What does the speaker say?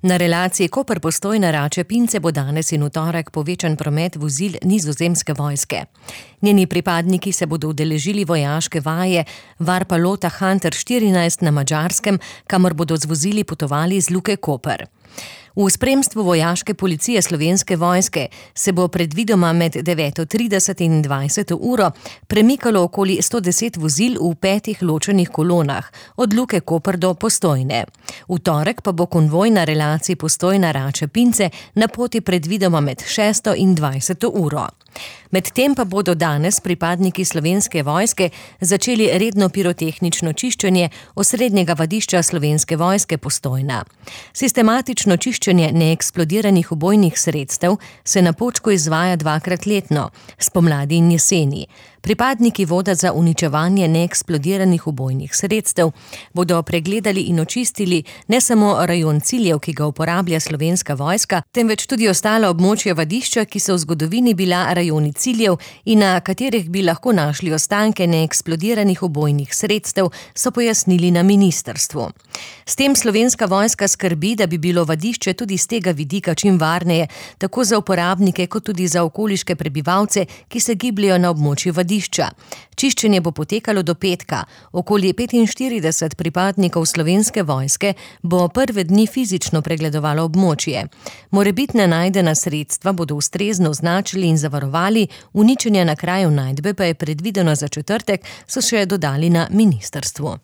Na relaciji Koper-Postojna-Rače-Pince bo danes in v torek povečan promet vozil Nizozemske vojske. Njeni pripadniki se bodo udeležili vojaške vaje Varpalota Hunter 14 na Madžarskem, kamor bodo z vozili potovali iz Luke Koper. V spremstvu vojaške policije Slovenske vojske se bo predvidoma med 9:30 in 20 uro premikalo okoli 110 vozil v 5 ločenih kolonah, od Luke Koper do Postojne. V torek pa bo konvoj na relaciji Postojna-Rače-Pince na poti predvidoma med 6 in 20 uro. Medtem pa bodo danes pripadniki Slovenske vojske začeli redno pirotehnično čiščenje osrednjega vadišča Slovenske vojske Postojna. Sistematično čiščenje neeksplodiranih ubojnih sredstev se na Počku izvaja 2-krat letno, spomladi in jeseni. Pripadniki voda za uničevanje neeksplodiranih ubojnih sredstev bodo pregledali in očistili ne samo rajon ciljev, ki ga uporablja Slovenska vojska, temveč tudi ostala območja vadišča, ki so v zgodovini bila rajoni ciljev in na katerih bi lahko našli ostanke neeksplodiranih ubojnih sredstev, so pojasnili na ministrstvu. S tem Slovenska vojska skrbi, da bi bilo vadišče tudi z tega vidika čim varneje, tako za uporabnike kot tudi za okoliške prebivalce, ki se gibljejo na območju vadišča. Čiščenje bo potekalo do petka. Okoli 45 pripadnikov Slovenske vojske bo prve dni fizično pregledovalo območje. Morebitna najdena sredstva bodo ustrezno označili in zavarovali, uničenje na kraju najdbe pa je predvideno za četrtek, so še dodali na ministrstvu.